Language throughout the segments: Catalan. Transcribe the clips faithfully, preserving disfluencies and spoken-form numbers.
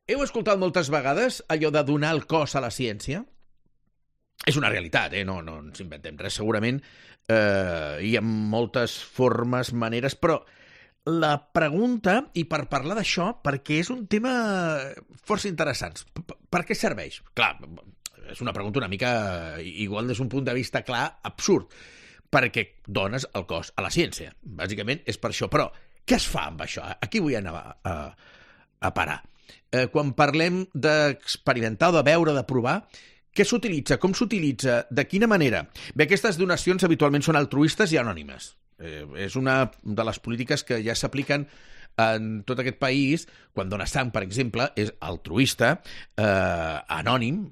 heu escoltat moltes vegades allò de donar el cos a la ciència? És una realitat, eh? no, no ens inventem res. Segurament eh, hi ha moltes formes, maneres, però la pregunta, i per parlar d'això, perquè és un tema força interessant, per què serveix? Clar, és una pregunta una mica, igual des d'un punt de vista clar, absurd, perquè dones el cos a la ciència. Bàsicament és per això. Però què es fa amb això? Aquí vull anar a, a, a parar. Eh, quan parlem d'experimentar, de veure, de provar, què s'utilitza? Com s'utilitza? De quina manera? Bé, aquestes donacions habitualment són altruistes i anònimes. Eh, és una de les polítiques que ja s'apliquen en tot aquest país. Quan dones sang, per exemple, és altruista, eh, anònim,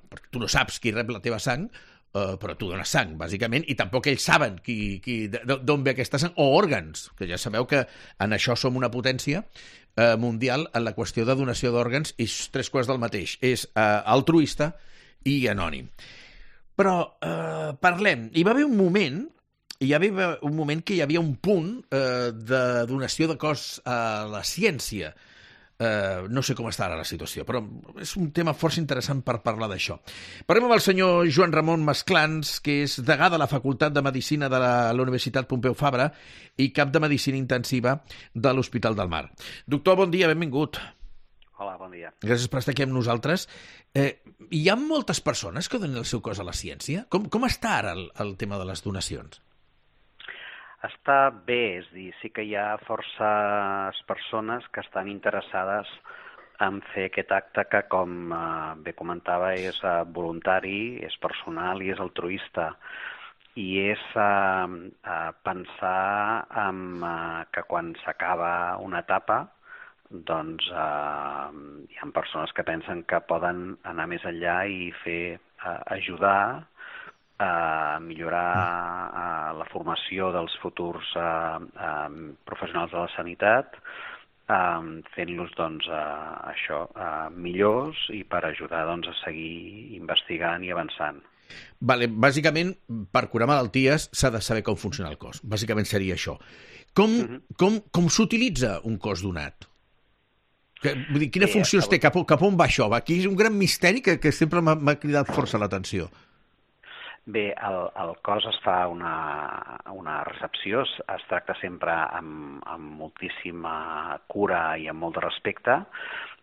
perquè tu no saps qui rep la teva sang, Uh, però tu dones sang, bàsicament, i tampoc ells saben qui, qui, d'on ve aquesta sang, o òrgans, que ja sabeu que en això som una potència uh, mundial en la qüestió de donació d'òrgans, i tres quarts del mateix, és uh, altruista i anònim. Però uh, parlem, hi va haver un moment, hi va haver un moment que hi havia un punt uh, de donació de cos a la ciència. Uh, no sé com està ara la situació, però és un tema força interessant per parlar d'això. Parlem amb el senyor Joan Ramon Masclans, que és degà de la Facultat de Medicina de la, la Universitat Pompeu Fabra i cap de Medicina Intensiva de l'Hospital del Mar. Doctor, bon dia, benvingut. Hola, bon dia. Gràcies per estar aquí amb nosaltres. Eh, hi ha moltes persones que donen el seu cos a la ciència? Com, com està ara el, el tema de les donacions? Està bé, és a dir, sí que hi ha forces persones que estan interessades en fer aquest acte que, com eh, bé comentava, és eh, voluntari, és personal i és altruista. I és eh, eh, pensar en, eh, que quan s'acaba una etapa, doncs eh, hi ha persones que pensen que poden anar més enllà i fer eh, ajudar a millorar uh, la formació dels futurs uh, uh, professionals de la sanitat, uh, fent-los doncs, uh, això uh, millors i per ajudar doncs, a seguir investigant i avançant. Vale, bàsicament, per curar malalties s'ha de saber com funciona el cos. Bàsicament seria això. Com, uh-huh. com, com s'utilitza un cos donat? Que, vull dir, quina sí, funció té? Cap, cap on va això? Aquí és un gran misteri que, que sempre m'ha cridat força l'atenció. Bé, el, el cos es fa una, una recepció, es, es tracta sempre amb, amb moltíssima cura i amb molt de respecte.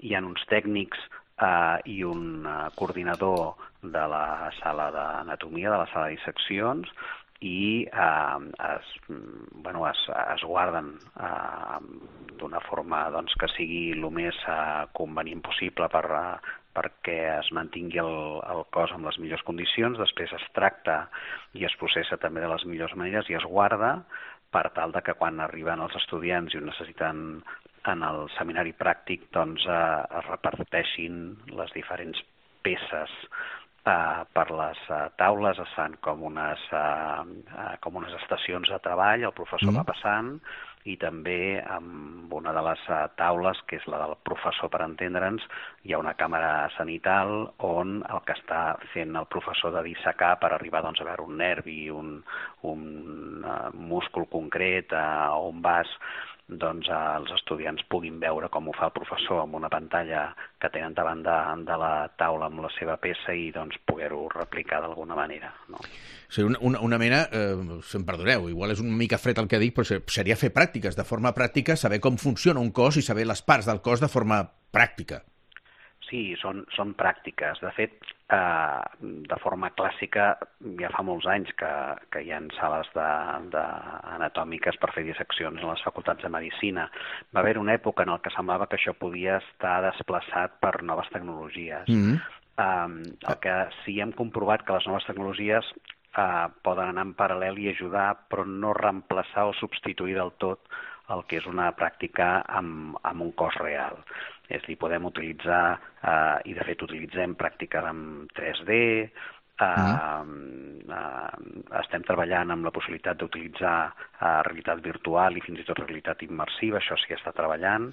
Hi ha uns tècnics eh, i un uh, coordinador de la sala d'anatomia, de la sala de disseccions, i eh, es, bueno, es, es guarden eh, d'una forma doncs, que sigui el més eh, convenient possible per uh, perquè es mantingui el, el cos en les millors condicions, després es tracta i es processa també de les millors maneres i es guarda per tal de que quan arriben els estudiants i ho necessiten en el seminari pràctic doncs eh, es reparteixin les diferents peces eh, per les eh, taules, es fan com unes, eh, com unes estacions de treball, el professor mm. va passant, i també amb una de les taules, que és la del professor per entendre'ns, hi ha una càmera sanital on el que està fent el professor de dissecar per arribar doncs, a veure un nervi, un, un uh, múscul concret, uh, on vas, doncs uh, els estudiants puguin veure com ho fa el professor amb una pantalla que tenen davant de, de la taula amb la seva peça i doncs poder-ho replicar d'alguna manera, no? O sigui, una, una, una mena, eh, si em perdoneu, igual és una mica fred el que dic, però seria fer pràctiques, de forma pràctica, saber com funciona un cos i saber les parts del cos de forma pràctica. Sí, són, són pràctiques. De fet, eh, de forma clàssica, ja fa molts anys que, que hi ha sales de, de anatòmiques per fer disseccions en les facultats de Medicina. Va haver una època en què semblava que això podia estar desplaçat per noves tecnologies. Mm-hmm. eh, el que sí hem comprovat que les noves tecnologies Uh, poden anar en paral·lel i ajudar, però no reemplaçar o substituir del tot el que és una pràctica amb, amb un cos real. És a dir, podem utilitzar, uh, i de fet utilitzem pràctiques amb tres D, uh, mm. uh, estem treballant amb la possibilitat d'utilitzar uh, realitat virtual i fins i tot realitat immersiva, això sí que està treballant,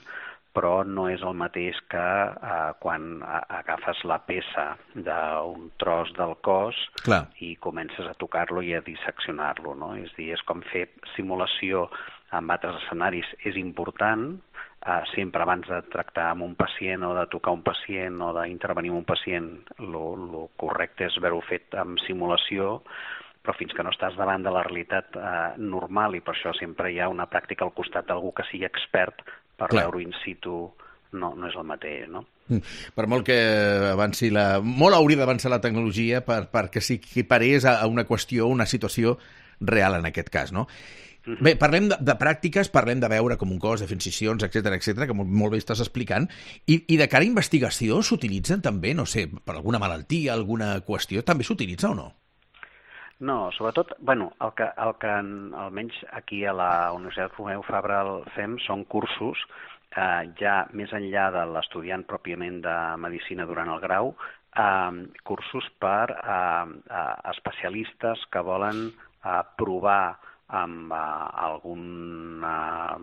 però no és el mateix que eh, quan agafes la peça d'un tros del cos Clar. I comences a tocar-lo i a disseccionar-lo, no? És a dir, és com fer simulació amb altres escenaris, és important, Uh, sempre abans de tractar amb un pacient o de tocar un pacient o d'intervenir amb un pacient, el correcte és haver-ho fet amb simulació, però fins que no estàs davant de la realitat eh, normal, i per això sempre hi ha una pràctica al costat d'algú que sigui expert per veure-ho in situ, no, no és el mateix, no? Per molt que avanci la... Molt hauria d'avançar la tecnologia per, perquè s'equiparés a una qüestió, una situació real en aquest cas, no? Bé, parlem de, de pràctiques, parlem de veure com un cos, de fer incisions, etcètera, etcètera, que molt, molt bé estàs explicant, i, i de cara a investigació s'utilitzen també, no sé, per alguna malaltia, alguna qüestió, també s'utilitza o no? No, sobretot, bueno, el que, el que almenys aquí a la Universitat Pompeu Fabra fem són cursos, eh, ja més enllà de l'estudiant pròpiament de Medicina durant el grau, eh, cursos per eh, eh, especialistes que volen eh, provar amb uh, algun uh,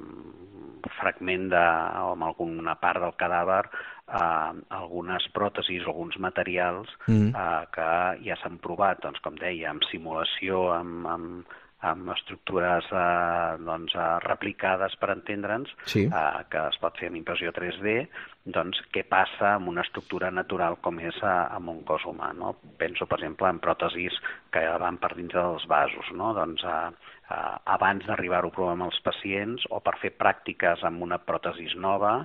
fragment de, o amb alguna part del cadàver, uh, algunes pròtesis o alguns materials mm. uh, que ja s'han provat, doncs, com deia, amb simulació, amb, amb, amb estructures uh, doncs, uh, replicades, per entendre'ns, sí. uh, que es pot fer amb impressió tres D, doncs què passa amb una estructura natural com és uh, amb un cos humà, no? Penso, per exemple, en pròtesis que van per dins dels vasos, no? Doncs uh, Uh, abans d'arribar-ho a provar amb els pacients o per fer pràctiques amb una pròtesis nova,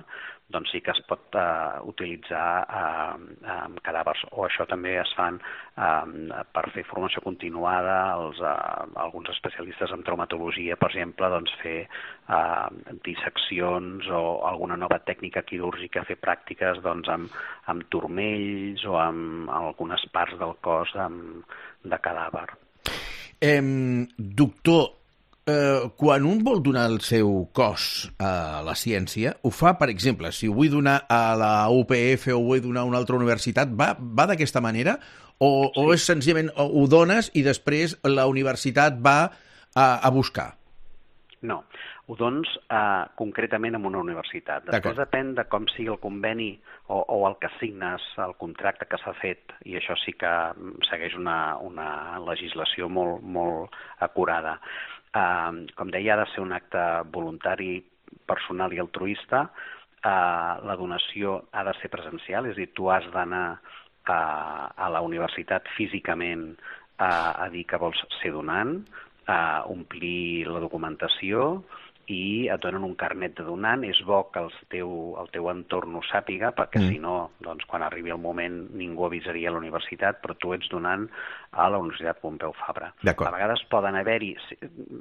doncs sí que es pot uh, utilitzar uh, amb cadàvers. O això també es fan uh, per fer formació continuada. Els, uh, alguns especialistes en traumatologia, per exemple, doncs fer uh, disseccions o alguna nova tècnica quirúrgica, fer pràctiques doncs, amb, amb turmells o amb algunes parts del cos amb, de cadàver. Eh, doctor, eh, quan un vol donar el seu cos a la ciència, ho fa, per exemple, si ho vull donar a la U P F o ho vull donar a una altra universitat, va, va d'aquesta manera? O, sí. o és senzillament ho dones i després la universitat va a, a buscar? No, ho dones uh, concretament en una universitat. Després depèn de com sigui el conveni o, o el que signes, el contracte que s'ha fet, i això sí que segueix una, una legislació molt, molt acurada. Uh, com deia, ha de ser un acte voluntari, personal i altruista. Uh, la donació ha de ser presencial, és a dir, tu has d'anar uh, a la universitat físicament uh, a dir que vols ser donant, Uh, omplir la documentació i et donen un carnet de donant. És bo que el teu, el teu entorn ho sàpiga, perquè mm. si no, doncs, quan arribi el moment ningú avisaria a la universitat, però tu ets donant a la Universitat Pompeu Fabra. A vegades poden haver-hi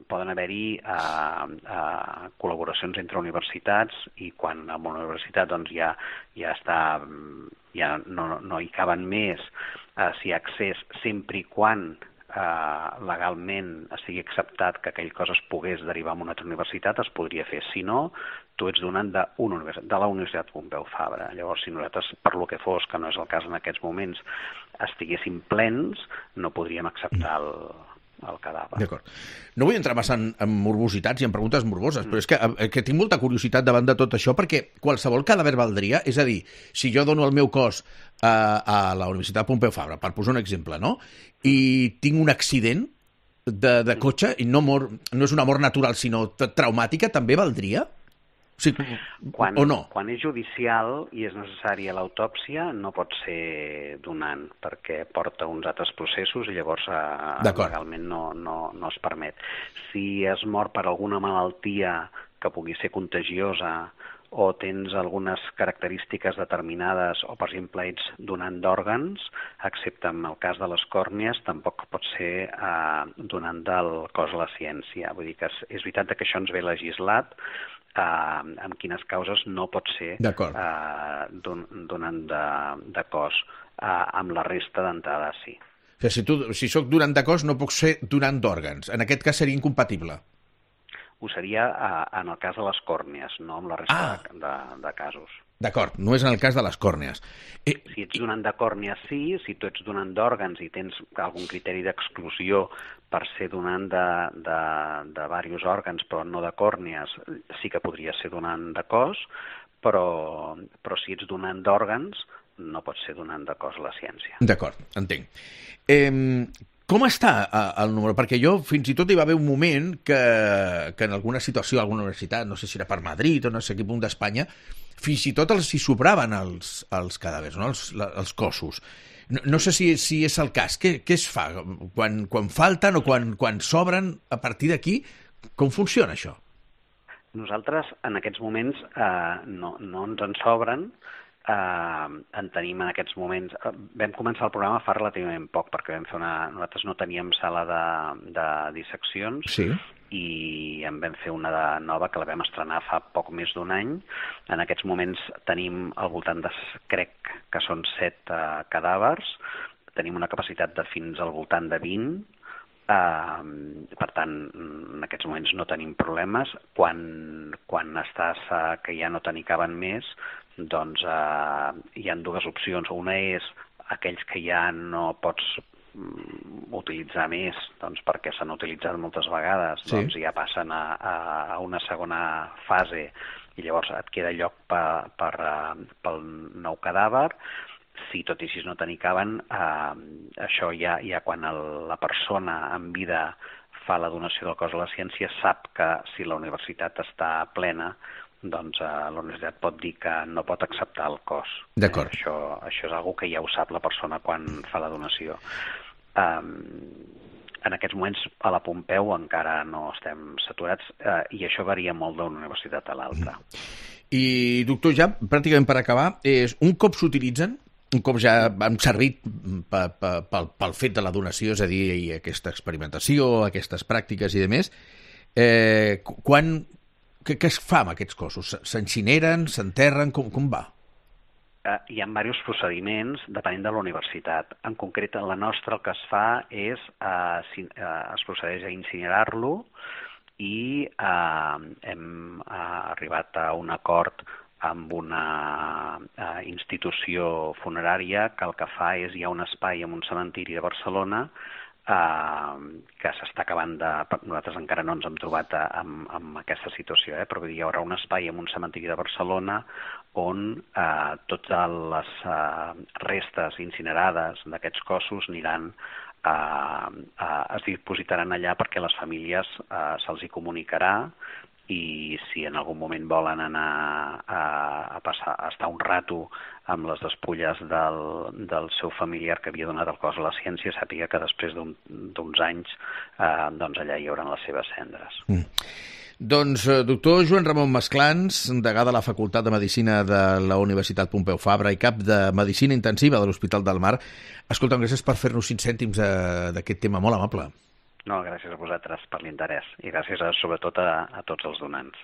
poden haver-hi uh, uh, col·laboracions entre universitats, i quan a una universitat doncs, ja, ja està, ja no, no hi caben més, uh, si hi ha accés, sempre i quan Uh, legalment estigui acceptat que aquell cosa es pogués derivar a una altra universitat, es podria fer. Si no, tu ets donant de, una universitat, de la Universitat Pompeu Fabra. Llavors, si nosaltres, per lo que fos, que no és el cas en aquests moments, estiguéssim plens, no podríem acceptar el, el cadàver. D'acord. No vull entrar massa en, en morbositats i en preguntes morboses, mm. però és que, que tinc molta curiositat davant de tot això, perquè qualsevol cadàver valdria, és a dir, si jo dono el meu cos a, a la Universitat Pompeu Fabra, per posar un exemple, no?, i tinc un accident de, de cotxe, i no, mor, no és una mort natural, sinó traumàtica, també valdria? O, sigui, quan, o no? Quan és judicial i és necessària l'autòpsia, no pot ser donant, perquè porta uns altres processos i llavors eh, legalment no, no, no es permet. Si es mor per alguna malaltia que pugui ser contagiosa, o tens algunes característiques determinades, o per exemple ets donant d'òrgans, excepte en el cas de les còrnies, tampoc pot ser eh, donant del cos a la ciència. Vull dir que és, és veritat que això ens ve legislat, eh, en quines causes no pot ser eh, don, donant de, de cos. Eh, amb la resta d'entrada sí. O sigui, si, tu, si soc donant de cos no puc ser donant d'òrgans. En aquest cas seria incompatible. Ho seria uh, en el cas de les còrnies, no en la resta ah. de, de, de casos. D'acord, no és en el cas de les còrnies. Eh... Si ets donant de còrnies, sí. Si tu ets donant d'òrgans i tens algun criteri d'exclusió per ser donant de, de, de diversos òrgans, però no de còrnies, sí que podria ser donant de cos, però, però si ets donant d'òrgans, no pots ser donant de cos a la ciència. D'acord, entenc. Eh, Com està el número? Perquè jo fins i tot hi va haver un moment que, que en alguna situació, alguna universitat, no sé si era per Madrid o no sé quin punt d'Espanya, fins i tot els hi sobraven els, els cadàvers, no? els, els cossos. No, no sé si, si és el cas. Què, què es fa? Quan, quan falten o quan, quan sobren, a partir d'aquí, com funciona això? Nosaltres, en aquests moments, eh, no, no ens en sobren. Eh, en tenim en aquests moments... Eh, vam començar el programa fa relativament poc, perquè vam fer una... nosaltres no teníem sala de, de disseccions, sí. I en vam fer una de nova que la vam estrenar fa poc més d'un any. En aquests moments tenim al voltant de, crec que són set eh, cadàvers, tenim una capacitat de fins al voltant de vint, Uh, per tant, en aquests moments no tenim problemes. Quan, quan estàs uh, que ja no te n'hi caben més, doncs uh, hi ha dues opcions. Una és aquells que ja no pots um, utilitzar més, doncs perquè s'han utilitzat moltes vegades, sí. Doncs ja passen a, a, a una segona fase i llavors et queda lloc per, per, uh, pel nou cadàver. Si tot i així no te n'hi caben, eh, això ja, ja quan el, la persona en vida fa la donació del cos a la ciència sap que si la universitat està plena, doncs eh, la universitat pot dir que no pot acceptar el cos. D'acord. Eh, això, això és una que ja ho sap la persona quan fa la donació. Eh, en aquests moments a la Pompeu encara no estem saturats eh, i això varia molt d'una universitat a l'altra. I, doctor, ja pràcticament per acabar, és un cop s'utilitzen, un cop ja han servit pel, pel fet de la donació, és a dir, i aquesta experimentació, aquestes pràctiques i demés, eh, quan, què, què es fa amb aquests cossos? S'incineren, s'enterren, com, com va? Uh, hi ha diversos procediments depenent de la universitat. En concret, la nostra el que es fa és, uh, si, uh, es procedeix a incinerar-lo i uh, hem uh, arribat a un acord amb una uh, institució funerària que el que fa és, hi ha un espai en un cementiri de Barcelona uh, que s'està acabant de... Nosaltres encara no ens hem trobat a, amb, amb aquesta situació, eh? Però hi haurà un espai en un cementiri de Barcelona on uh, totes les uh, restes incinerades d'aquests cossos aniran uh, uh, es dipositaran allà perquè les famílies uh, se'ls hi comunicarà i si en algun moment volen anar a, a, passar, a estar un rato amb les despulles del, del seu familiar que havia donat el cos a la ciència, sàpiga que després d'uns un, anys eh, doncs allà hi haurà les seves cendres. Mm. Doncs, doctor Joan Ramon Masclans, degà de la Facultat de Medicina de la Universitat Pompeu Fabra i cap de Medicina Intensiva de l'Hospital del Mar, escolta'm, gràcies per fer-nos cinc cèntims d'aquest tema molt amable. No, gràcies a vosaltres per l'interès i gràcies a, sobretot a, a tots els donants.